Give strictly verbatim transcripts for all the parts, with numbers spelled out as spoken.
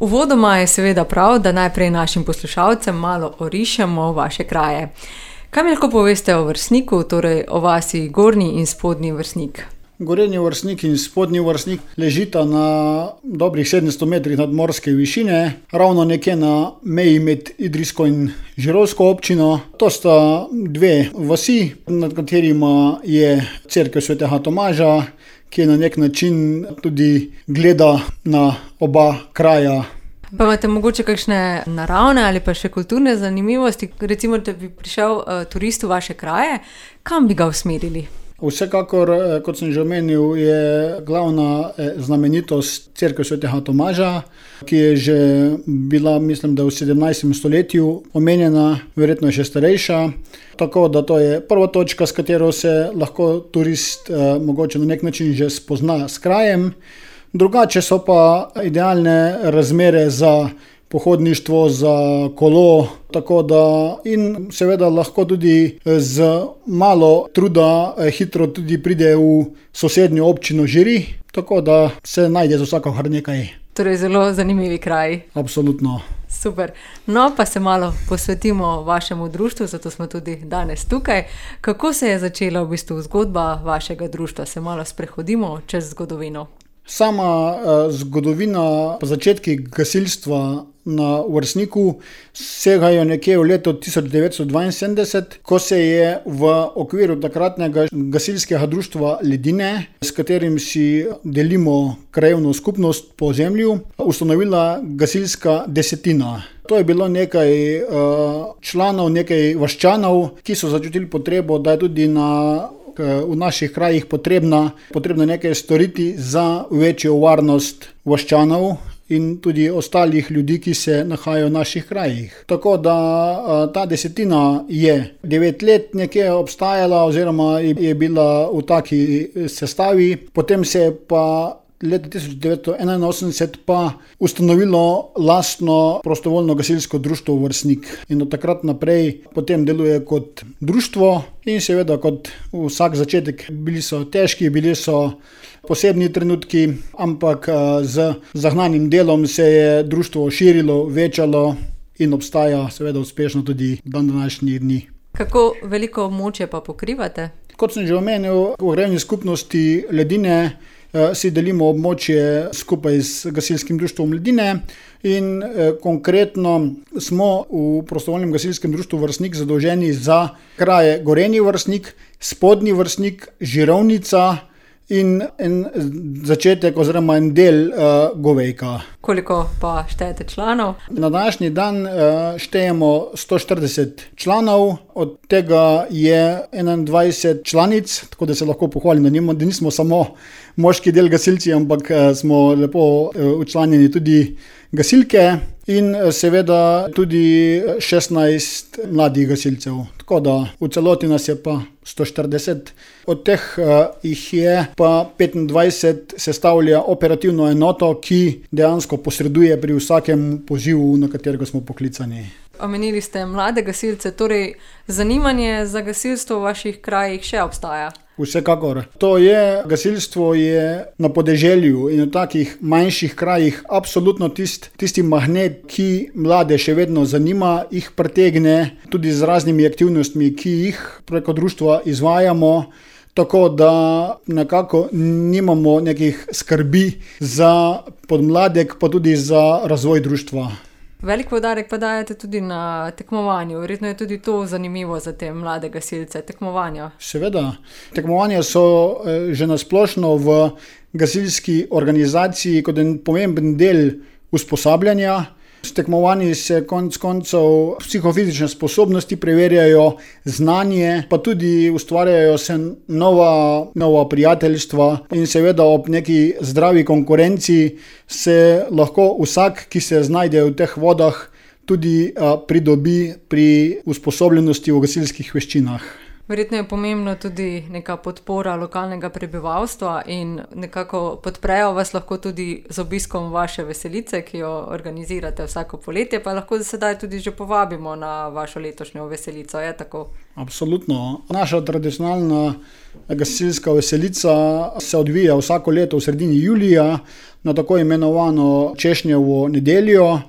Uvodoma je seveda prav, da najprej našim poslušalcem malo orišemo vaše kraje. Kaj mi lahko poveste o Vršniku, torej o vasi Gornji in Spodnji Vršnik? Gornji Vršnik in Spodnji Vršnik ležita na dobrih sedemsto metrih nadmorske višine, ravno nekje na meji med idrijsko in žirovsko občino. To sta dve vasi, nad katerima je cerkev svetega Tomaža, ki na nek način tudi gleda na oba kraja. Pa imate mogoče kakšne naravne ali pa še kulturne zanimivosti? Recimo, da bi prišel uh, turist v vaše kraje, kam bi ga usmerili? Vsekakor, kot sem že omenil, je glavna znamenitost cerkev svetega Tomaža, ki je že bila, mislim, da v sedemnajstem stoletju omenjena, verjetno je še starejša. Tako da to je prva točka, s katero se lahko turist eh, mogoče na nek način že spozna s krajem. Drugače so pa idealne razmere za pohodništvo, za kolo, tako da in seveda lahko tudi z malo truda hitro tudi pride v sosednjo občino Žiri, tako da se najde za vsako kar nekaj. Torej zelo zanimivi kraji. Absolutno. Super. No, pa se malo posvetimo vašemu društvu, zato smo tudi danes tukaj. Kako se je začela v bistvu zgodba vašega društva? Se malo sprehodimo čez zgodovino. Sama uh, zgodovina, pa začetki gasilstva na Vršniku segajo nekje v leto tisoč devetsto dvainsedemdeset, ko se je v okviru takratnega gasilskega društva Ledine, s katerim si delimo krajevno skupnost po zemlju, ustanovila gasilska desetina. To je bilo nekaj uh, članov, nekaj vaščanov, ki so začutili potrebo, da je tudi na v naših krajih potrebna, potrebno nekaj storiti za večjo varnost vaščanov in tudi ostalih ljudi, ki se nahajajo v naših krajih. Tako da ta desetina je devet let nekje obstajala oziroma je bila v taki sestavi, potem se je pa leta tisoč devetsto enainosemdeset pa ustanovilo lastno prostovoljno gasilsko društvo Vršnik in od takrat naprej potem deluje kot društvo in seveda kot vsak začetek bili so težki, bili so posebni trenutki, ampak z zagnanim delom se je društvo širilo, večalo in obstaja seveda uspešno tudi dan današnjih dni. Kako veliko območje pa pokrivate? Kot sem že omenil, v krajevni skupnosti Ledine si delimo območje skupaj z gasilskim društvom Ledine in eh, konkretno smo v prostovoljnem gasilskem društvu Vršnik zadolženi za kraje Gornji Vršnik, Spodnji Vršnik, Žirovnica in en začetek oziroma en del uh, Govejka. Koliko pa štejete članov? Na današnji dan uh, štejemo sto štirideset članov, od tega je enaindvajset članic, tako da se lahko pohvalim, da, nima, da nismo samo moški del gasilci, ampak uh, smo lepo uh, učlanjeni tudi gasilke in uh, seveda tudi šestnajst mladih gasilcev. Tako da v celoti nas je pa sto štirideset, od teh uh, jih je pa petindvajset sestavlja operativno enoto, ki dejansko posreduje pri vsakem pozivu, na katerega smo poklicani. Omenili ste mlade gasilce, torej zanimanje za gasilstvo v vaših krajih še obstaja? Vsekakor. To je, gasilstvo je na podeželju in v takih manjših krajih absolutno tist, tisti magnet, ki mlade še vedno zanima, jih pritegne tudi z raznimi aktivnostmi, ki jih preko društva izvajamo, tako da nekako nimamo nekih skrbi za podmladek, pa tudi za razvoj društva. Velik poudarek pa dajete tudi na tekmovanju. Verjetno je tudi to zanimivo za te mlade gasilce, tekmovanja. Seveda. Tekmovanja so že nasplošno v gasilski organizaciji kot en pomemben del usposabljanja. S tekmovanji se konec koncev psihofizične sposobnosti preverjajo, znanje, pa tudi ustvarjajo se nova, nova prijateljstva in seveda ob neki zdravi konkurenci se lahko vsak, ki se znajde v teh vodah, tudi a, pridobi pri usposobljenosti v gasilskih veščinah. Verjetno je pomembno tudi neka podpora lokalnega prebivalstva in nekako podprejo vas lahko tudi z obiskom vaše veselice, ki jo organizirate vsako poletje, pa lahko sedaj tudi že povabimo na vašo letošnjo veselico, je tako? Absolutno. Naša tradicionalna gasilska veselica se odvija vsako leto v sredini julija na tako imenovano Češnjevo nedeljo.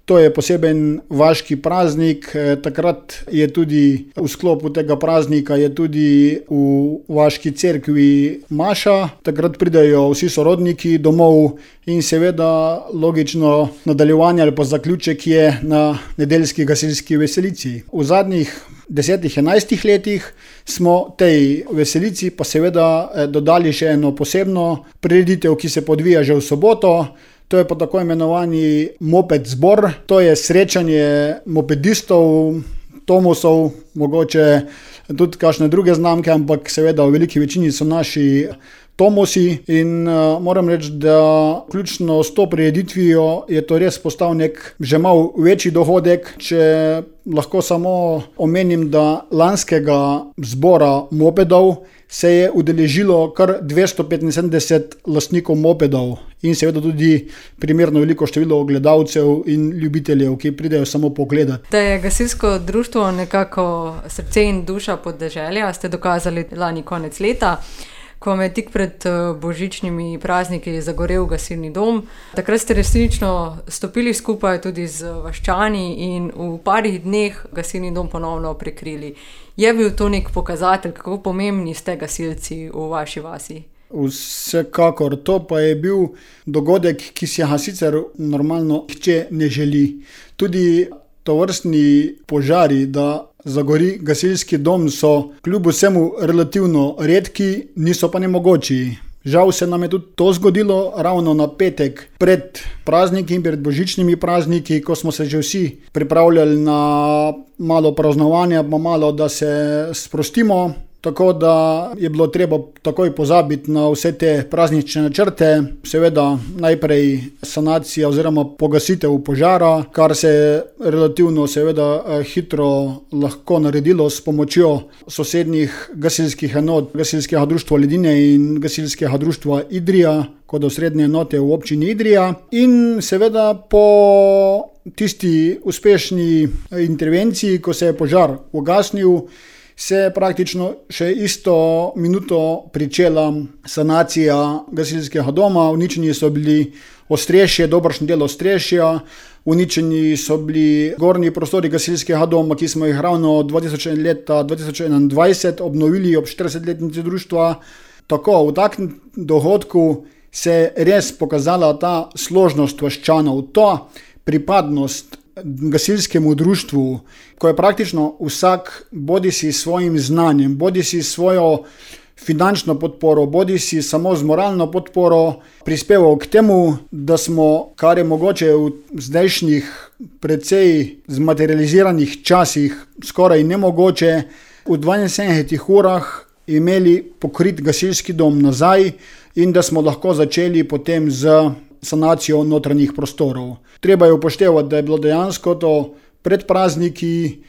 To je poseben vaški praznik, takrat je tudi v sklopu tega praznika je tudi v vaški cerkvi maša, takrat pridejo vsi sorodniki domov in seveda logično nadaljevanje ali pa zaključek je na nedeljski gasilski veselici. V zadnjih desetih, enajstih letih smo tej veselici pa seveda dodali še eno posebno prireditev, ki se podvija že v soboto. To je pa tako imenovani moped zbor, to je srečanje mopedistov, tomosov, mogoče tudi kakšne druge znamke, ampak seveda v veliki večini so naši tomosi in uh, moram reči, da ključno s to prireditvijo je to res postal nek že malo večji dohodek, če lahko samo omenim, da lanskega zbora mopedov se je udeležilo kar dvesto petinsedemdeset lastnikov mopedov in seveda tudi primerno veliko število gledalcev in ljubiteljev, ki pridejo samo pogledat. Da je gasilsko društvo nekako srce in duša podeželja, ste dokazali lani konec leta, ko vam je tik pred božičnimi prazniki zagorel gasilni dom. Takrat ste resnično stopili skupaj tudi z vaščani in v parih dneh gasilni dom ponovno prekrili. Je bil to nek pokazatelj, kako pomembni ste gasilci v vaši vasi? Vsekakor, to pa je bil dogodek, ki si ga sicer normalno nihče ne želi. Tudi tovrstni požari, da zagori gasilski dom, so kljub vsemu relativno redki, niso pa nemogoči. Žal se nam je tudi to zgodilo ravno na petek pred prazniki in pred božičnimi prazniki, ko smo se že vsi pripravljali na malo praznovanja, pa malo, da se sprostimo. Tako da je bilo treba takoj pozabiti na vse te praznične načrte. Seveda najprej sanacija oziroma pogasitev požara, kar se je relativno seveda hitro lahko naredilo s pomočjo sosednjih gasilskih enot, gasilskega društva Ledine in gasilskega društva Idrija, kot osrednje enote v občini Idrija. In seveda po tisti uspešni intervenciji, ko se je požar ugasnil, se je praktično še isto minuto pričela sanacija gasilskega doma. Uničeni so bili ostrešje, dobršen del ostrešja, uničeni so bili gornji prostori gasilskega doma, ki smo jih ravno leta dva tisoč enaindvajset obnovili ob štiridesetletnici društva. Tako, v takem dogodku se je res pokazala ta složnost vaščanov, ta pripadnost gasilskemu društvu, ko je praktično vsak bodisi s svojim znanjem, bodisi s svojo finančno podporo, bodisi samo z moralno podporo prispeval k temu, da smo, kar je mogoče v zdajšnjih precej zmaterializiranih časih skoraj nemogoče, v dvainsedemdesetih urah imeli pokrit gasilski dom nazaj in da smo lahko začeli potem z sanacijo notranjih prostorov. Treba je upoštevati, da je bilo dejansko to pred prazniki,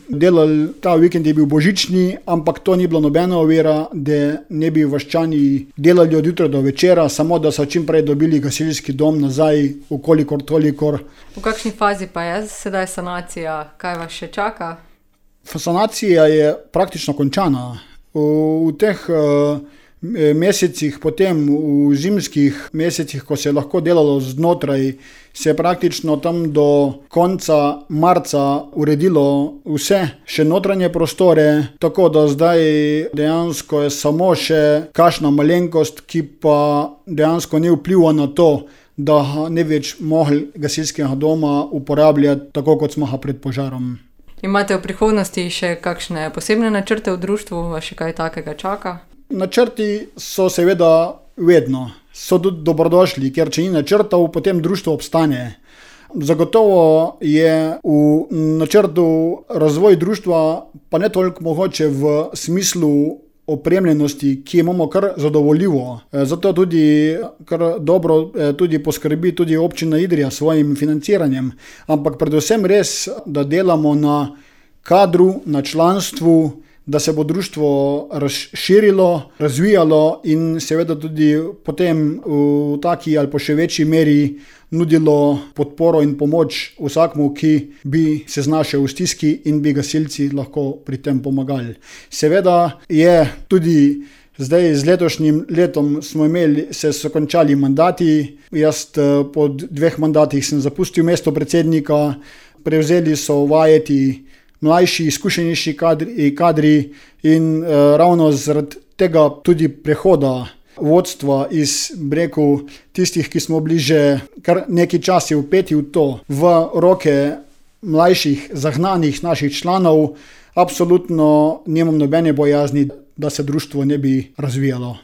delali, ta vikend je bil božični, ampak to ni bilo nobena ovira, da ne bi vaščani delali od jutra do večera, samo da so čim prej dobili gasilski dom nazaj, ukolikor tolikor. V kakšni fazi pa je sedaj sanacija? Kaj vas še čaka? Sanacija je praktično končana. V, v teh uh, mesecih, potem v zimskih mesecih, ko se je lahko delalo znotraj, se je praktično tam do konca marca uredilo vse, še notranje prostore, tako da zdaj dejansko je samo še kakšna malenkost, ki pa dejansko ne vpliva na to, da ne več mogli gasilskega doma uporabljati tako, kot smo ga pred požarom. Imate v prihodnosti še kakšne posebne načrte v društvu, vas še kaj takega čaka? Načrti so seveda vedno, so tudi dobrodošli, ker če ni načrtov, potem društvo obstane. Zagotovo je v načrtu razvoj društva, pa ne toliko mogoče v smislu opremljenosti, ki imamo kar zadovoljivo. Zato tudi kar dobro tudi poskrbi tudi občina Idrija s svojim financiranjem, ampak predvsem res, da delamo na kadru, na članstvu, da se bo društvo razširilo, razvijalo in seveda tudi potem v taki ali pa še večji meri nudilo podporo in pomoč vsakmu, ki bi se znašel v stiski in bi gasilci lahko pri tem pomagali. Seveda je tudi zdaj z letošnjim letom smo imeli, se so končali mandati. Jaz po dveh mandatih sem zapustil mesto predsednika, prevzeli so vajeti mlajši, izkušenejši kadri, kadri in uh, ravno zaradi tega tudi prehoda vodstva iz breku tistih, ki smo bili že kar neki časi vpeti v to, v roke mlajših, zagnanih naših članov, absolutno nimam nobene bojazni, da se društvo ne bi razvijalo.